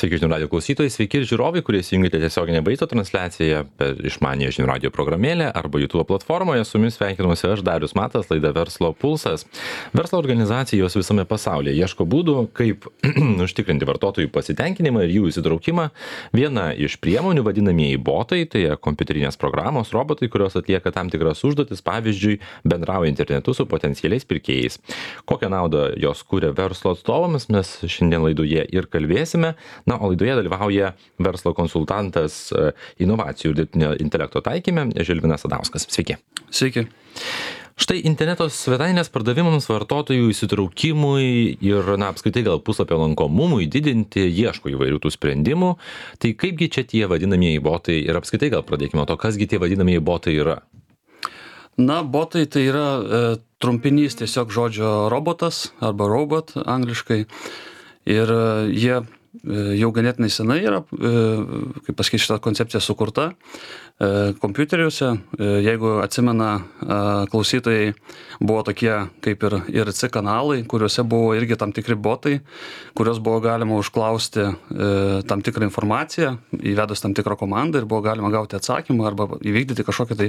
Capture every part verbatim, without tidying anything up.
Sveiki žinių radio klausytojai, sveiki ir žiūrovai, kurie įsijungėte tiesioginę vaizdo transliaciją per išmanėją žinių radio programėlę arba YouTube platformoje. Su jumis sveikinuosi aš, Darius Matas, laida Verslo pulsas. Verslo organizacijos visame pasaulyje ieško būdų, kaip užtikrinti vartotojų pasitenkinimą ir jų įsitraukimą. Viena iš priemonių vadinamieji botai, tai kompiuterinės programos, robotai, kurios atlieka tam tikras užduotis, pavyzdžiui, bendrauja internetu su potencialiais pirkėjais. Kokią naudą jos kūrė verslo atstovams, mes šiandien laidoje ir kalbėsime. Na, o laidoje dalyvauja verslo konsultantas inovacijų ir dirbtinio intelekto taikyme Žilvinas Sadauskas. Sveiki. Sveiki. Štai interneto svetainės pardavimams, vartotojų įsitraukimui ir, na, apskritai gal puslapio lankomumui didinti ieško įvairių tų sprendimų. Tai kaipgi čia tie vadinamieji botai ir apskritai gal pradėkime to, kasgi tie vadinamieji botai yra? Na, botai tai yra e, trumpinys tiesiog žodžio robotas arba robot angliškai. Ir e, jie jau ganėtinai senai yra, kaip pasakyti, šitą koncepciją sukurta kompiuteriuose. Jeigu atsimena klausytojai, buvo tokie kaip ir I R C kanalai, kuriuose buvo irgi tam tikri botai, kurios buvo galima užklausti tam tikrą informaciją, įvedus tam tikrą komandą ir buvo galima gauti atsakymą arba įvykdyti kažkokią tai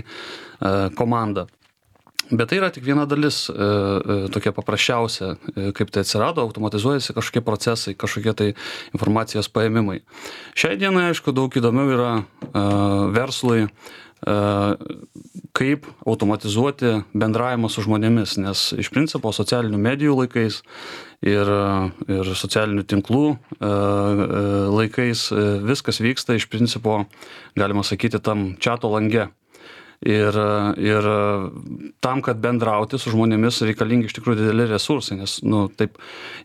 komandą. Bet tai yra tik viena dalis, e, e, tokia paprasčiausia, e, kaip tai atsirado, automatizuojasi kažkokie procesai, kažkokie tai informacijos paėmimai. Šiai dienai, aišku, daug įdomiau yra e, verslui, e, kaip automatizuoti bendravimą su žmonėmis, nes iš principo socialinių medijų laikais ir, ir socialinių tinklų e, e, laikais e, viskas vyksta iš principo, galima sakyti, tam chato lange. Ir, ir tam, kad bendrauti su žmonėmis reikalingi iš tikrųjų dideli resursai, nes, nu, taip,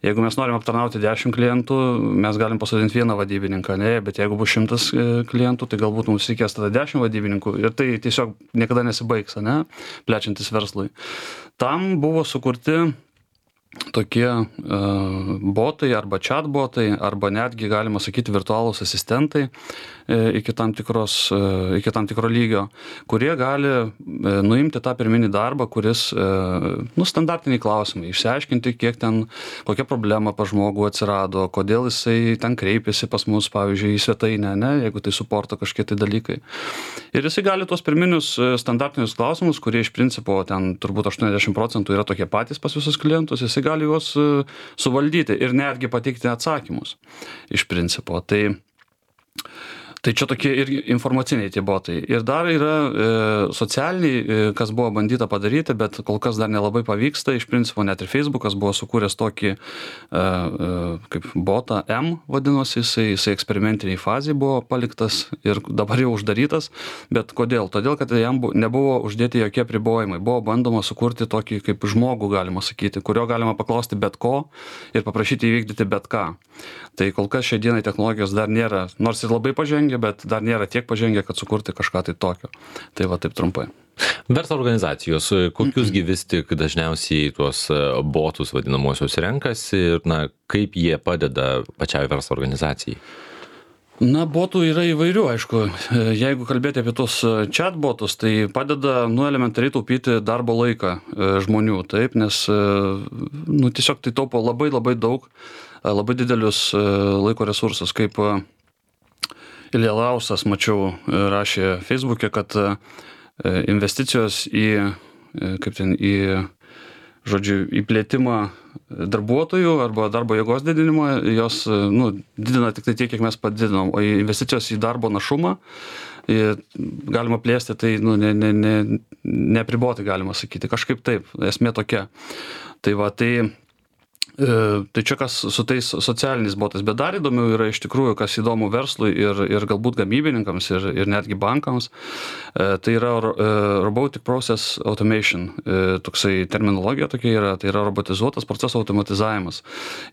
jeigu mes norim aptarnauti dešimt klientų, mes galim pasodinti vieną vadybininką, ne, bet jeigu bus šimtas klientų, tai galbūt mums reikės tada dešimt vadybininkų ir tai tiesiog niekada nesibaigs, ne, plečiantis verslui. Tam buvo sukurti tokie uh, botai arba chatbotai, arba netgi galima sakyti virtualūs asistentai e, iki, tam tikros, e, iki tam tikro lygio, kurie gali e, nuimti tą pirminį darbą, kuris, e, nu, standartiniai klausimai, išsiaiškinti, kiek ten, kokia problema pas žmogų atsirado, kodėl jisai ten kreipėsi pas mus, pavyzdžiui, į svetainę, ne, jeigu tai suporto kažkiek tai dalykai. Ir jisai gali tuos pirminius standartinius klausimus, kurie iš principo ten turbūt aštuoniasdešimt procentų yra tokie patys pas visus klientus, jisai gali juos suvaldyti ir netgi pateikti atsakymus iš principo. Tai, tai čia tokie ir informaciniai tie botai. Ir dar yra e, socialiniai, e, kas buvo bandyta padaryti, bet kol kas dar nelabai pavyksta. Iš principo net ir Facebookas buvo sukūręs tokį e, e, kaip botą M vadinosi, jisai, jisai eksperimentiniai fazai buvo paliktas ir dabar jau uždarytas. Bet kodėl? Todėl, kad jam bu, nebuvo uždėti jokie apribojimai. Buvo bandoma sukurti tokį kaip žmogų, galima sakyti, kurio galima paklausti bet ko ir paprašyti įvykdyti bet ką. Tai kol kas šiai dienai technologijos dar nėra, nors ir labai pažengę, bet dar nėra tiek pažengę, kad sukurti kažką tai tokio. Tai va taip trumpai. Verslo organizacijos, kokiusgi vis tik dažniausiai tuos botus vadinamosius renkasi ir, na, kaip jie padeda pačiai verslo organizacijai? Na, botų yra įvairių, aišku. Jeigu kalbėti apie tos chatbotus, tai padeda, nu, elementariai taupyti darbo laiką žmonių, taip, nes, nu, tiesiog tai taupo labai labai daug, labai didelius laiko resursus, kaip Ilja Lausas, mačiau, rašė Facebook'e, kad investicijos į, kaip ten, į, žodžiu, į plėtimą darbuotojų arba darbo jėgos didinimą, jos, nu, didina tik tai tiek, kiek mes padidinom, o investicijos į darbo našumą galima plėsti, tai, nu, ne, ne, ne, neapriboti galima sakyti, kažkaip taip, esmė tokia. Tai va, tai Tai čia kas su tais socialiniais botais, bet dar įdomiau yra iš tikrųjų, kas įdomu verslui ir, ir galbūt gamybininkams ir, ir netgi bankams, tai yra Robotic Process Automation, toksai terminologija tokia yra, tai yra robotizuotas proceso automatizavimas.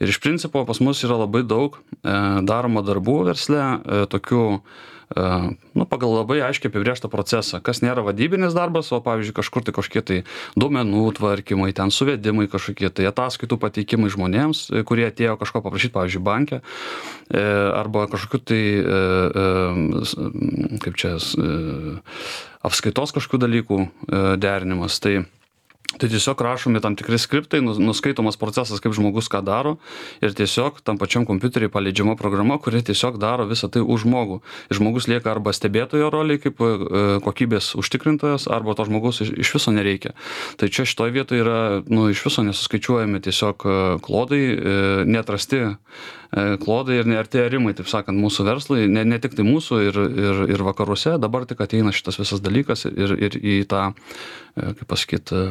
Ir iš principo pas mus yra labai daug daroma darbų versle, tokių, nu, pagal labai aiškiai apibrėžtą procesą, kas nėra vadybinis darbas, o pavyzdžiui kažkur tai kažkokie tai duomenų tvarkymai, ten suvedimai kažkokie, tai ataskaitų pateikimai žmonėms, kurie atėjo kažko paprašyti, pavyzdžiui, banke, arba kažkokiu tai, kaip čia, apskaitos kažkokių dalykų derinimas. Tai Tai tiesiog rašomi tam tikri skriptai, nuskaitomas procesas, kaip žmogus ką daro ir tiesiog tam pačiam kompiuteriai paleidžiama programa, kuri tiesiog daro visą tai už žmogų. Ir žmogus lieka arba stebėtojo roliai kaip kokybės užtikrintojas, arba to žmogus iš viso nereikia. Tai čia šitoje vietoje yra, nu, iš viso nesuskaičiuojami tiesiog klodai, neatrasti klodai ir neartėrimai, taip sakant, mūsų verslai, ne, ne tik tai mūsų ir, ir, ir vakaruose, dabar tik ateina šitas visas dalykas ir, ir į tą, kaip pasakyti,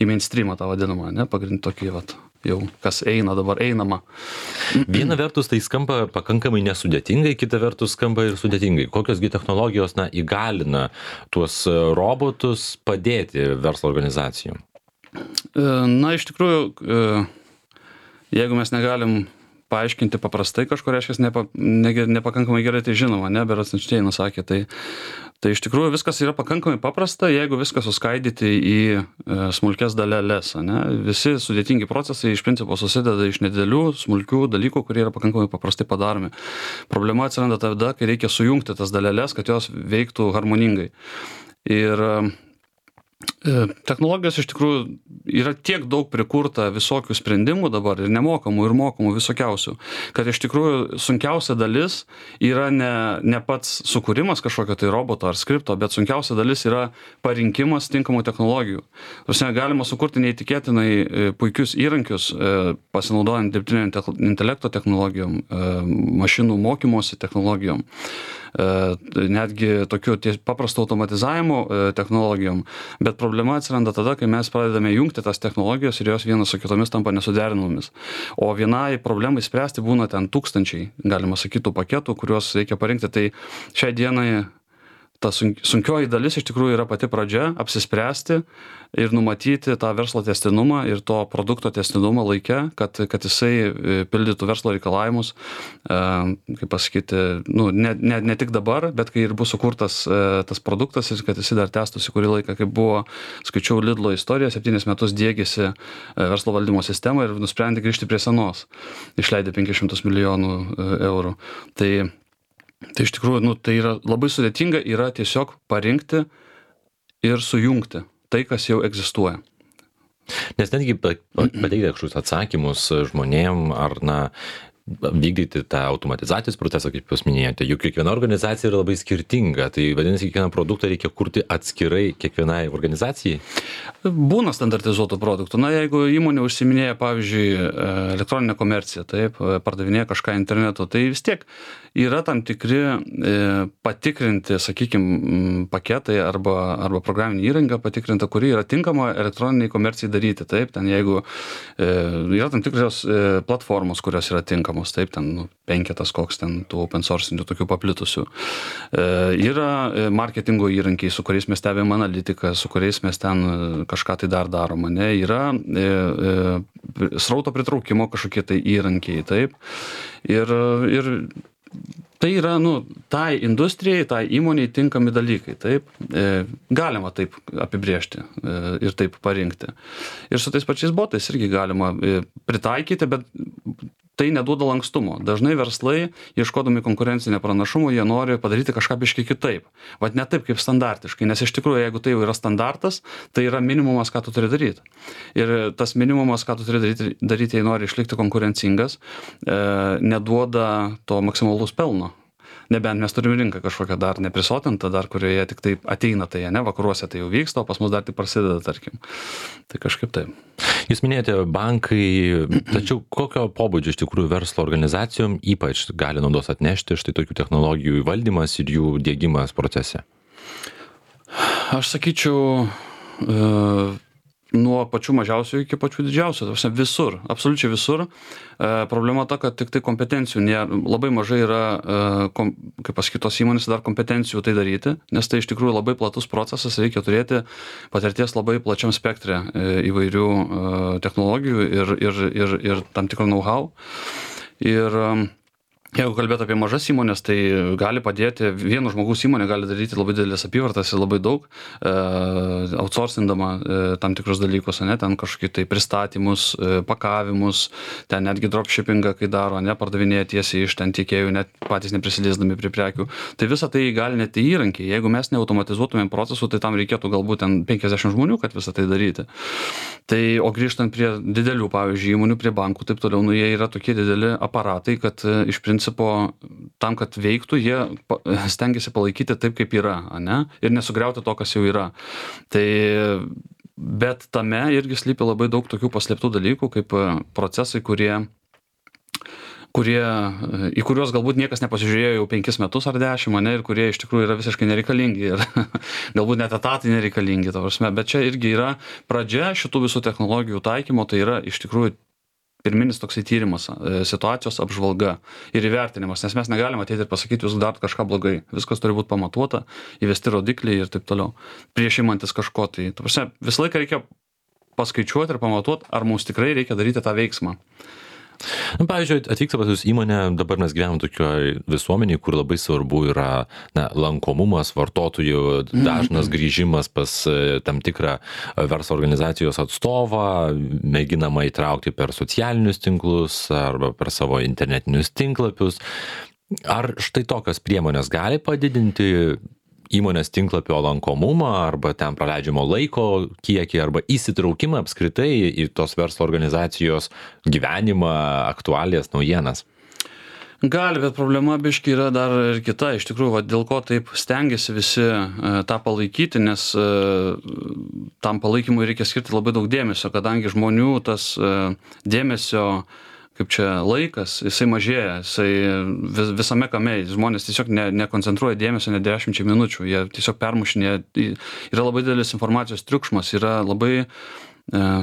į mainstreamą tą vadinamą, ne, pagrindinį tokį, vat, jau kas eina dabar einama. Viena vertus tai skamba pakankamai nesudėtingai, kita vertus skamba ir sudėtingai. Kokiosgi technologijos, na, įgalina tuos robotus padėti verslo organizacijom? Na, iš tikrųjų, jeigu mes negalim paaiškinti paprastai kažko, reiškia, nepa, ne, nepakankamai gerai tai žinoma, ne, Beras Einšteinas sakė, tai, tai iš tikrųjų viskas yra pakankamai paprasta, jeigu viską suskaidyti į e, smulkes daleles, ne, visi sudėtingi procesai iš principo susideda iš nedidelių, smulkių dalykų, kurie yra pakankamai paprastai padaromi. Problema atsiranda tada, kai reikia sujungti tas daleles, kad jos veiktų harmoningai. Ir technologijos iš tikrųjų yra tiek daug prikurta visokių sprendimų dabar ir nemokamų ir mokamų visokiausių, kad iš tikrųjų sunkiausia dalis yra ne, ne pats sukūrimas kažkokio tai roboto ar skripto, bet sunkiausia dalis yra parinkimas tinkamų technologijų. Tarsi galima sukurti neįtikėtinai puikius įrankius, pasinaudojant dirbtinio intelekto technologijom, mašinų mokymosi technologijom, netgi tokiu paprasto automatizavimo technologijom, bet problema atsiranda tada, kai mes pradedame jungti tas technologijos ir jos vienas su kitomis tampa nesuderinamomis. O vienai problemai spręsti būna ten tūkstančiai, galima sakyti, paketų, kuriuos reikia parinkti. Tai šiai dienai ta sunkioji dalis iš tikrųjų yra pati pradžia, apsispręsti ir numatyti tą verslo tęstinumą ir to produkto tęstinumą laike, kad, kad jisai pildytų verslo reikalavimus, kaip pasakyti, nu, ne, ne, ne tik dabar, bet kai ir bus sukurtas tas produktas ir kad jisai dar tęstųsi kurį laiką, kaip buvo, skaičiau Lidlo istoriją, septynis metus diegėsi verslo valdymo sistemą ir nusprendė grįžti prie senos, išleidė penkis šimtus milijonų eurų. Tai Tai iš tikrųjų, nu, tai yra labai sudėtinga, yra tiesiog parinkti ir sujungti tai, kas jau egzistuoja. Nes netgi pateikti kažkokius atsakymus žmonėm ar, na, vykdyti tą automatizacijos procesą, kaip jūs minėjote, juk kiekviena organizacija yra labai skirtinga, tai vadinasi, kiekvieną produktą reikia kurti atskirai kiekvienai organizacijai? Būna standartizuotų produktų. Na, jeigu įmonė užsiminėja, pavyzdžiui, elektroninę komerciją, taip, pardavinėja kažką internetu, tai vis tiek yra tam tikri e, patikrinti, sakykime, paketai arba, arba programinė įranga patikrinta, kuri yra tinkama elektroniniai komercijai daryti. Taip, ten jeigu e, yra tam tikros e, platformos, kurios yra tinkamos, taip, ten nu, penketas koks ten tų open sourcinių tokių paplitusių. E, yra marketingo įrankiai, su kuriais mes stebėm analitiką, su kuriais mes ten kažką tai dar darom, ne? Yra e, e, srauto pritraukimo kažkokie tai įrankiai, taip. Ir, ir tai yra, nu, tai industrijai, tai įmoniai tinkami dalykai, taip, e, galima taip apibrėžti e, ir taip parinkti. Ir su tais pačiais botais irgi galima e, pritaikyti, bet tai neduoda lankstumo. Dažnai verslai, ieškodami konkurencinio pranašumo, jie nori padaryti kažką biškai kitaip. Vat ne taip kaip standartiškai, nes iš tikrųjų, jeigu tai jau yra standartas, tai yra minimumas, ką tu turi daryti. Ir tas minimumas, ką tu turi daryti, daryti jei nori išlikti konkurencingas, e, neduoda to maksimalaus pelno. Nebent mes turime rinką kažkokią dar neprisotintą, dar kurioje tik taip ateina, tai ne, vakaruose tai jau vyksta, o pas mus dar tik prasideda, tarkim. Tai kažkaip taip. Jūs minėjote bankai, tačiau kokio pobūdžio iš tikrųjų verslo organizacijom ypač gali naudos atnešti štai tokių technologijų įvaldymas ir jų diegimas procese? Aš sakyčiau, e, nuo pačių mažiausių iki pačių didžiausių, visur, absoliučiai visur. E, problema ta, kad tik tai kompetencijų nėra, labai mažai yra, e, kom, kaip pasakytos įmonės, dar kompetencijų tai daryti, nes tai iš tikrųjų labai platus procesas, reikia turėti patirties labai plačiam spektre e, įvairių e, technologijų ir, ir, ir, ir tam tikro know-how. Ir e, Jeigu kalbėt apie mažas įmonės, tai gali padėti, vieno žmogaus įmonė gali daryti labai didelės apyvartas ir labai daug, e, outsourcindama e, tam tikrus dalykus, ne, ten kažkokį tai pristatymus, e, pakavimus, ten netgi dropshippingą, kai daro, ne, pardavinėja tiesiai iš ten tiekėjų, net patys neprisiliesdami prie prekių. Tai visą tai gali net įrankiai. Jeigu mes neautomatizuotumėm procesų, tai tam reikėtų galbūt ten penkiasdešimt žmonių, kad visą tai daryti. Tai, o grįžtant prie didelių, pavyzdžiui, įmonių, prie bankų, taip toliau, nu, jie yra tokie dideli aparatai, kad e, iš principo tam, kad veiktų, jie stengiasi palaikyti taip, kaip yra, ane? Ir nesugriauti to, kas jau yra. Tai, bet tame irgi slypi labai daug tokių paslėptų dalykų, kaip procesai, kurie kurie, į kuriuos galbūt niekas nepasižiūrėjo jau penkis metus ar dešimt, ane, ir kurie iš tikrųjų yra visiškai nereikalingi ir galbūt net etatai nereikalingi, ta prasme. Bet čia irgi yra pradžia šitų visų technologijų taikymo, tai yra iš tikrųjų pirminis toksai tyrimas, situacijos apžvalga ir įvertinimas, nes mes negalime ateiti ir pasakyti, jūs darot kažką blogai. Viskas turi būti pamatuota, įvesti rodikliai ir taip toliau. Prieš imantis kažko, tai ta prasme, visą laiką reikia paskaičiuoti ir pamatuoti, ar mums tikrai reikia daryti tą veiksmą. Na, pavyzdžiui, atvyksta pas jūs įmonė, dabar mes gyvenam tokioje visuomenėje, kur labai svarbu yra na, lankomumas, vartotojų dažnas grįžimas pas tam tikrą verslo organizacijos atstovą, mėginama įtraukti per socialinius tinklus arba per savo internetinius tinklapius. Ar štai tokios priemonės gali padidinti įmonės tinklapio lankomumą arba ten praleidžiamo laiko kiekį arba įsitraukimą apskritai į tos verslo organizacijos gyvenimą, aktualijas, naujienas? Gali, bet problema biški yra dar ir kita. Iš tikrųjų, va, dėl ko taip stengiasi visi e, tą palaikyti, nes e, tam palaikymui reikia skirti labai daug dėmesio, kadangi žmonių tas e, dėmesio kaip čia laikas, jisai mažėja, jisai vis, visame kame, žmonės tiesiog ne, nekoncentruoja dėmesio ne dešimčiai minučių, jie tiesiog permušinėja, yra labai didelis informacijos triukšmas, yra labai e,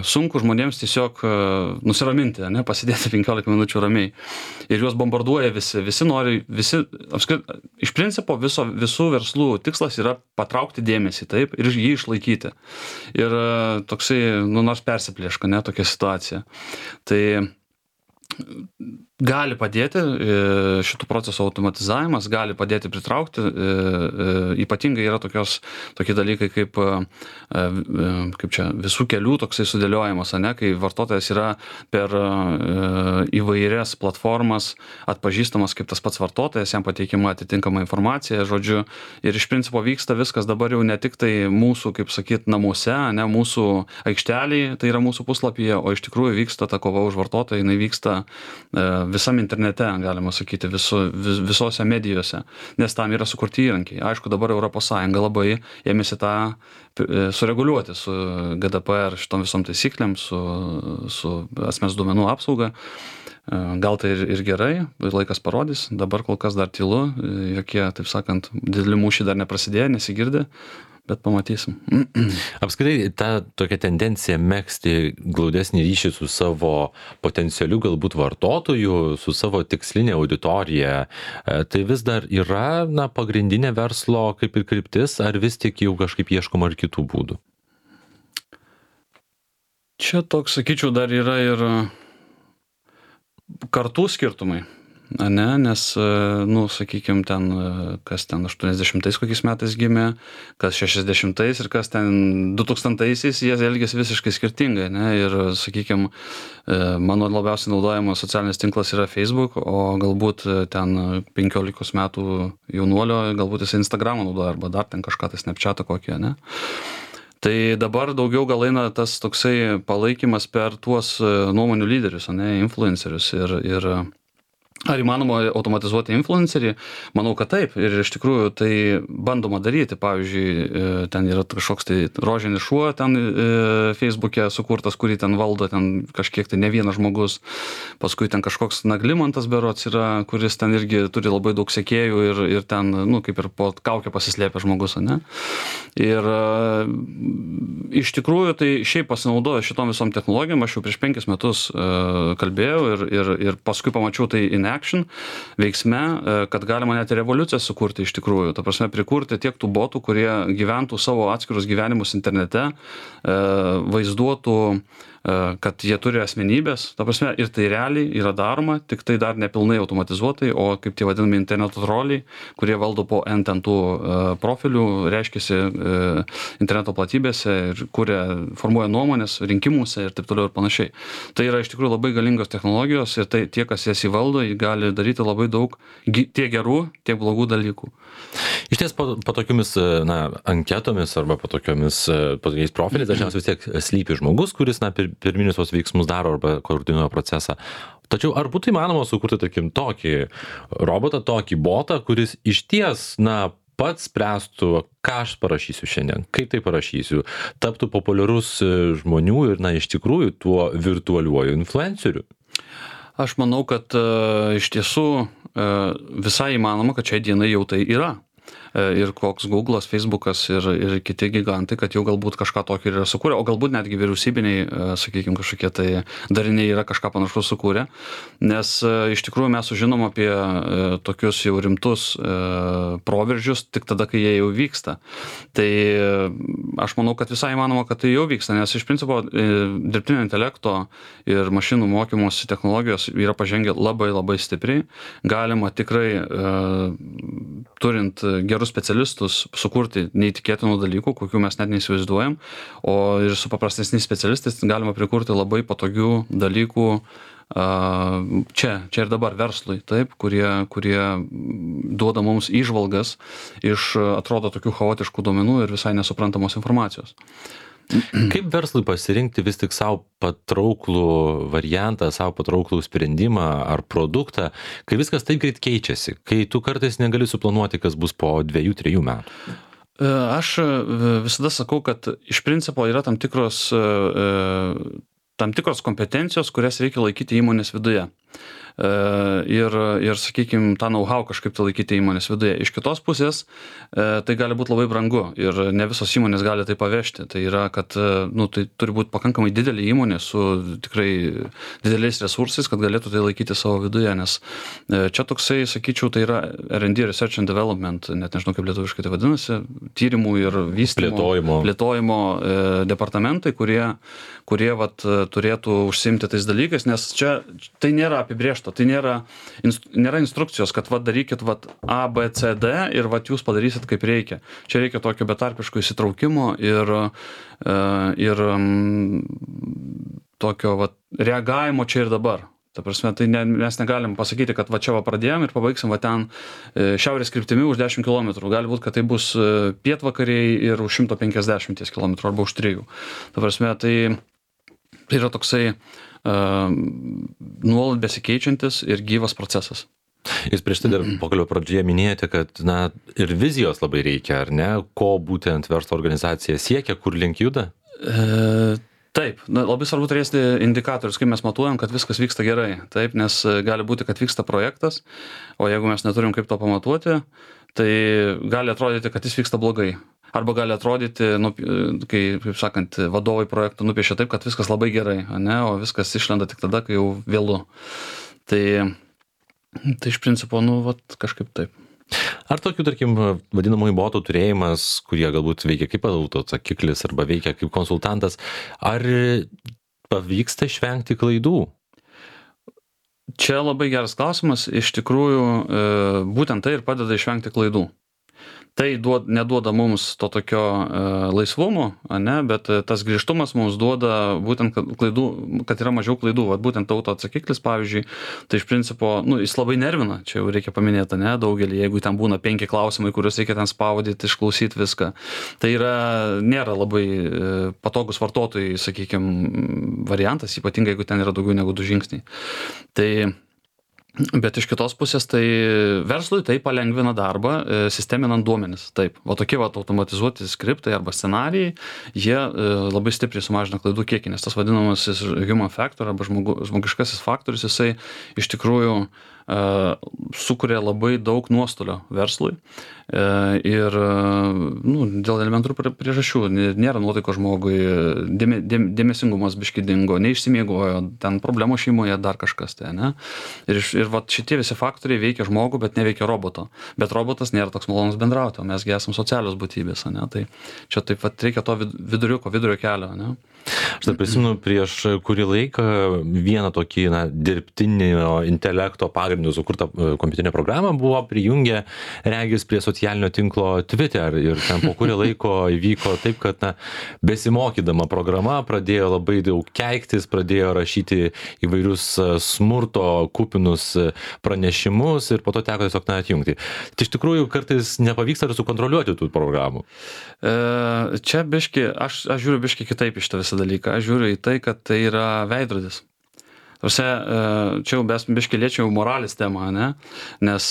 sunku žmonėms tiesiog e, nusiraminti, ne, pasidėti penkiolika minučių ramiai. Ir juos bombarduoja visi, visi nori, visi, apskrit, iš principo viso, visų verslų tikslas yra patraukti dėmesį, taip, ir jį išlaikyti. Ir e, toksai, nu, nors persiplėška, ne, tokia situacija. Tai gali padėti šitų procesų automatizavimas, gali padėti pritraukti, ypatingai yra tokios, tokie dalykai kaip, kaip čia visų kelių toksai sudėliojimas, ne, kai vartotojas yra per įvairias platformas atpažįstamas kaip tas pats vartotojas, jam pateikima atitinkama informacija, žodžiu, ir iš principo vyksta viskas dabar jau ne tik tai mūsų, kaip sakyt, namuose, ne, mūsų aikšteliai, tai yra mūsų puslapyje, o iš tikrųjų vyksta ta kova už vartotoją, jinai vyksta visam internete, galima sakyti, visu, vis, visose medijose, nes tam yra sukurti įrankiai. Aišku, dabar Europos Sąjunga labai ėmėsi tą sureguliuoti su G D P R šitom visom taisyklėm, su, su asmens duomenų apsauga. Gal tai ir, ir gerai, laikas parodys, dabar kol kas dar tylu, jokie, taip sakant, dideli mūšiai dar neprasidėjo, nesigirdi, bet pamatysim. Apskritai, ta tokia tendencija megzti glaudesnį ryšį su savo potencialiu galbūt vartotoju, su savo tikslinė auditorija, tai vis dar yra na, pagrindinė verslo kaip ir kryptis, ar vis tik jau kažkaip ieškoma ir kitų būdų? Čia toks, sakyčiau, dar yra ir kartų skirtumai. Ne, nes, nu, sakykime, ten, kas ten aštuoniasdešimtais kokiais metais gimė, kas šešiasdešimtais ir kas ten dutūkstantaisiais, jie elgėsi visiškai skirtingai, ne, ir, sakykime, mano labiausiai naudojamas socialinis tinklas yra Facebook, o galbūt ten penkiolikos metų jaunuolio, galbūt jis Instagramą naudoja, arba dar ten kažką, tai Snapchatą kokį, ne. Tai dabar daugiau gal eina tas toksai palaikymas per tuos nuomonių lyderius, ne, influencerius ir, ir ar įmanoma automatizuoti influencerį? Manau, kad taip. Ir iš tikrųjų tai bandoma daryti. Pavyzdžiui, ten yra kažkoks tai rožinis šuo ten Facebook'e sukurtas, kurį ten valdo ten kažkiek tai ne vienas žmogus. Paskui ten kažkoks Naglimantas berods yra, kuris ten irgi turi labai daug sekėjų ir, ir ten, nu, kaip ir po kaukę pasislėpia žmogus, ne? Ir iš tikrųjų tai šiaip pasinaudoju šitom visom technologijom. Aš jau prieš penkis metus kalbėjau ir, ir, ir paskui pamačiau tai in action veiksme, kad galima net revoliuciją sukurti iš tikrųjų. Ta prasme, prikurti tiek tų botų, kurie gyventų savo atskirus gyvenimus internete, vaizduotų kad jie turi asmenybės, ta prasme, ir tai realiai yra daroma, tik tai dar nepilnai automatizuotai, o kaip tie vadinami interneto troliai, kurie valdo po N ten tų profilių, reiškiasi interneto platybėse ir kuria, formuoja nuomonės rinkimuose ir taip toliau ir panašiai. Tai yra iš tikrųjų labai galingos technologijos ir tai tie, kas jas įvaldo, gali daryti labai daug tiek gerų, tiek blogų dalykų. Iš ties po, po tokiomis na, anketomis arba po tokiomis po tokiais profiliais dažniausiai vis tiek slypi žmogus, kuris na, pir, pirminius tos veiksmus daro arba koordinuoja procesą. Tačiau ar būtų įmanoma sukurti tarkim tokį robotą, tokį botą, kuris iš ties na, pats spręstų, ką aš parašysiu šiandien, kaip tai parašysiu, taptų populiarus žmonių ir na, iš tikrųjų tuo virtualiuoju influenceriu? Aš manau, kad uh, iš tiesų uh, visai įmanoma, kad šiai dienai jau tai yra. Ir koks Google'as, Facebook'as ir, ir kiti gigantai, kad jau galbūt kažką tokio yra sukūrę, o galbūt netgi vyriausybiniai, sakykime, kažkokie tai dariniai yra kažką panašaus sukūrę, nes iš tikrųjų mes sužinom apie tokius jau rimtus proveržius tik tada, kai jie jau vyksta. Tai aš manau, kad visai įmanoma, kad tai jau vyksta, nes iš principo dirbtinio intelekto ir mašinų mokymosi technologijos yra pažengę labai labai stipriai. Galima tikrai turint gerus specialistus sukurti neįtikėtinų dalykų, kokių mes net neįsivaizduojam, o ir su paprastesniais specialistais galima prikurti labai patogių dalykų čia, čia ir dabar verslui, taip, kurie, kurie duoda mums įžvalgas iš, atrodo, tokių chaotiškų duomenų ir visai nesuprantamos informacijos. Kaip verslui pasirinkti vis tik savo patrauklų variantą, savo patrauklų sprendimą ar produktą, kai viskas taip greit keičiasi, kai tu kartais negali suplanuoti, kas bus po dviejų, trijų metų? Aš visada sakau, kad iš principo yra tam tikros, tam tikros kompetencijos, kurias reikia laikyti įmonės viduje. Ir, ir sakykime, tą know-how kažkaip tai laikyti įmonės viduje. Iš kitos pusės, tai gali būti labai brangu ir ne visos įmonės gali tai pavežti. Tai yra, kad nu, tai turi būti pakankamai didelė įmonė su tikrai dideliais resursais, kad galėtų tai laikyti savo viduje, nes čia toksai, sakyčiau, tai yra R and D, Research and Development, net nežinau, kaip lietuviškai tai vadinasi, tyrimų ir vystymo, plėtojimo, plėtojimo e, departamentai, kurie, kurie vat, turėtų užsiimti tais dalykais, nes čia tai nėra apibrėžta. Tai nėra, nėra instrukcijos, kad vat darykit vat A, B, C, D ir vat jūs padarysit kaip reikia. Čia reikia tokio betarpiško įsitraukimo ir, ir tokio vat reagavimo čia ir dabar. Ta prasme, tai ne, mes negalim pasakyti, kad va čia va pradėjom ir pabaigsim va ten šiaurės kryptimi už dešimt kilometrų. Gali būti, kad tai bus pietvakariai ir už šimto penkiasdešimties kilometrų arba už trijų. Ta prasme, tai, tai yra toksai Uh, nuolat besikeičiantis ir gyvas procesas. Jūs prieš tai dar pokalbio pradžioje minėjote, kad na, ir vizijos labai reikia, ar ne? Ko būtent verslo organizacija siekia, kur link juda? E, taip, na, labai svarbu turėti indikatorius, kaip mes matuojam, kad viskas vyksta gerai. Taip, nes gali būti, kad vyksta projektas, o jeigu mes neturim kaip to pamatuoti, tai gali atrodyti, kad jis vyksta blogai. Arba gali atrodyti, nu, kai, kaip sakant, vadovai projektų nupiešia taip, kad viskas labai gerai, ne, o viskas išlenda tik tada, kai jau vėlu. Tai, tai iš principo, nu, vat, kažkaip taip. Ar tokių, tarkim, vadinamųjų botų turėjimas, kurie galbūt veikia kaip autoatsakiklis arba veikia kaip konsultantas, ar pavyksta išvengti klaidų? Čia labai geras klausimas. Iš tikrųjų, būtent tai ir padeda išvengti klaidų. Tai duod, neduoda mums to tokio e, laisvumo, ne, bet tas grįžtumas mums duoda būtent, kad, klaidų, kad yra mažiau klaidų. Vat būtent autoatsakiklis, pavyzdžiui, tai iš principo, nu, jis labai nervina, čia jau reikia paminėti, ne, daugelį, jeigu ten būna penki klausimai, kuriuos reikia ten spaudyti, išklausyti viską. Tai yra, nėra labai e, patogus vartotojai, sakykime, variantas, ypatingai, jeigu ten yra daugiau negu du žingsniai. Tai bet iš kitos pusės, tai verslui tai palengvina darbą, sisteminant duomenis. Taip, va tokie va automatizuoti skriptai arba scenarijai, jie labai stipriai sumažina klaidų kiekį, nes tas vadinamasis human factor arba žmogu, žmogiškasis faktorius, jisai iš tikrųjų uh, sukuria labai daug nuostolio verslui uh, ir uh, nu, dėl elementarų priežasčių nėra nuotaiko žmogui, dėme, dėme, dėmesingumas biški dingo, neišsimiegojo, ten problemos šeimoje, dar kažkas tai, ne? Ir, ir va šitie visi faktoriai veikia žmogų, bet neveikia roboto. Bet robotas nėra toks malonus bendrauti, o mesgi esam socialios būtybės, ne? Tai čia taip pat reikia to viduriuko, vidurio kelio, ne? Aš dar prisimenu prieš kurį laiką vieną tokį na, dirbtinio intelekto pagrindų sukurtą kompiuterinę programą buvo prijungę regis prie socialinio tinklo Twitter ir ten po kurį laiko įvyko taip, kad na, besimokydama programa pradėjo labai daug keiktis, pradėjo rašyti įvairius smurto kupinus pranešimus ir po to teko tiesiog na, atjungti. Tai iš tikrųjų kartais nepavyksta ir sukontroliuoti tų programų. E, čia biški, aš, aš žiūriu biški kitaip iš tą visą dalyką. Aš žiūriu į tai, kad tai yra veidrodis. Tarsi, čia jau mes biški liečiau moralės temą, ne? Nes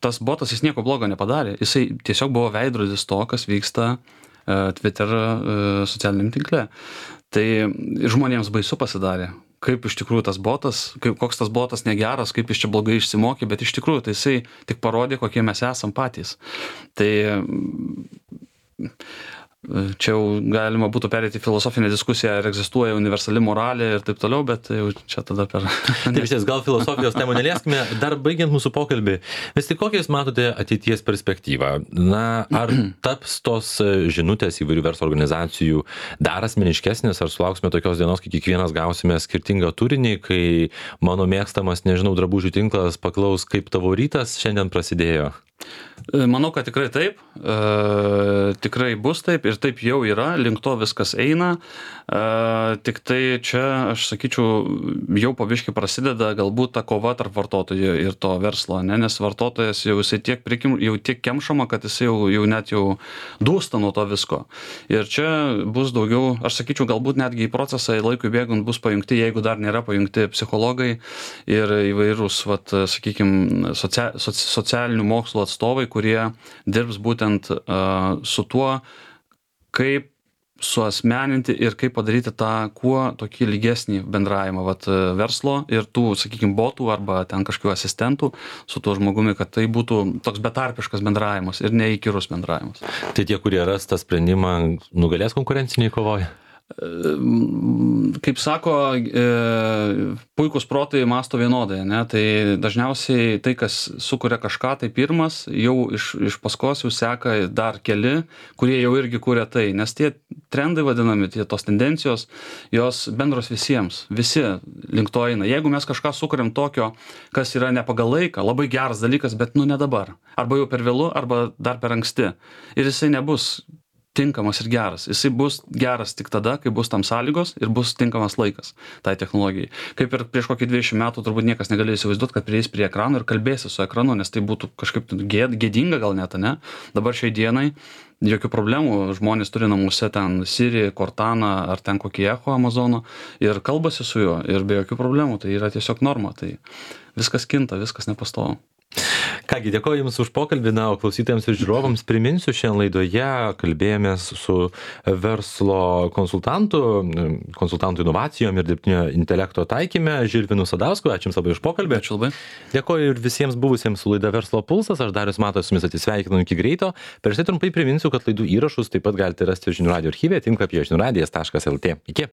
tas botas jis nieko blogo nepadarė. Jisai tiesiog buvo veidrodis to, kas vyksta Twitter socialiniam tinkle. Tai žmonėms baisu pasidarė. Kaip iš tikrųjų tas botas, kaip, koks tas botas negeras, kaip jis čia blogai išsimokė, bet iš tikrųjų tai jisai tik parodė, kokie mes esam patys. Tai čia jau galima būtų perėti filosofinę diskusiją, ar egzistuoja universali moralė ir taip toliau, bet jau čia tada per... Taip, vis gal filosofijos temų nelieskime. Dar baigiant mūsų pokalbį, vis tik kokiais matote ateities perspektyvą? Na, ar taps tos žinutės įvairių verslo organizacijų dar asmeniškesnės, ar sulauksime tokios dienos, kai kiekvienas gausime skirtingą turinį, kai mano mėgstamas, nežinau, drabužių tinklas paklaus, kaip tavo rytas šiandien prasidėjo? Manau, kad tikrai taip, e, tikrai bus taip ir taip jau yra, link to viskas eina, e, tik tai čia, aš sakyčiau, jau po biškį prasideda galbūt ta kova tarp vartotojų ir to verslo, ne? Nes vartotojas jau jisai tiek, prikim, jau tiek kemšama, kad jisai jau, jau net jau dūsta nuo to visko. Ir čia bus daugiau, aš sakyčiau, galbūt netgi į procesą laikui bėgant bus pajungti, jeigu dar nėra pajungti psichologai ir įvairūs, vat, sakykime, socia, soci, socialinių mokslų atstovai, kurie dirbs būtent uh, su tuo, kaip suasmeninti ir kaip padaryti tą kuo tokį lygesnį bendravimą vat, verslo ir tų, sakykime, botų arba ten kažkokių asistentų su tuo žmogumi, kad tai būtų toks betarpiškas bendravimas ir neįkyrus bendravimas. Tai tie, kurie ras tą sprendimą, nugalės konkurenciniai kovoje? Kaip sako, puikus protai mąsto vienodai, ne? Tai dažniausiai tai, kas sukuria kažką, tai pirmas, jau iš, iš paskos jau seka dar keli, kurie jau irgi kuria tai, nes tie trendai vadinami, tie tos tendencijos, jos bendros visiems, visi link to eina. Jeigu mes kažką sukuriam tokio, kas yra ne pagal laiką, labai geras dalykas, bet nu ne dabar, arba jau per vėlu, arba dar per anksti, ir jisai nebus tinkamas ir geras. Jisai bus geras tik tada, kai bus tam sąlygos ir bus tinkamas laikas tai technologijai. Kaip ir prieš kokį dvidešimt metų turbūt niekas negalėjo įsivaizduoti, kad prieis prie ekrano ir kalbėsi su ekranu, nes tai būtų kažkaip gėd, gėdinga gal net, ne? Dabar šiai dienai jokių problemų, žmonės turi namuose ten Siri, Cortana ar ten kokį Echo Amazono ir kalbasi su juo ir be jokių problemų, tai yra tiesiog norma, tai viskas kinta, viskas nepastovu. Kągi, dėkoju Jums už pokalbį, na, o klausytojams ir žiūrovams priminsiu, šiandien laidoje kalbėjomės su verslo konsultantu, konsultantų inovacijom ir dirbtinio intelekto taikyme, Žilvinu Sadausku. Ačiū Jums labai už pokalbį. Ačiū labai. Dėkoju ir visiems buvusiems su laida Verslo pulsas. Aš Darius Matas su Jumis atsisveikinu iki greito. Prieš tai trumpai priminsiu, kad laidų įrašus taip pat galite rasti žinių radijo archyve, tinklapyje žinių radijas taškas lt. Iki.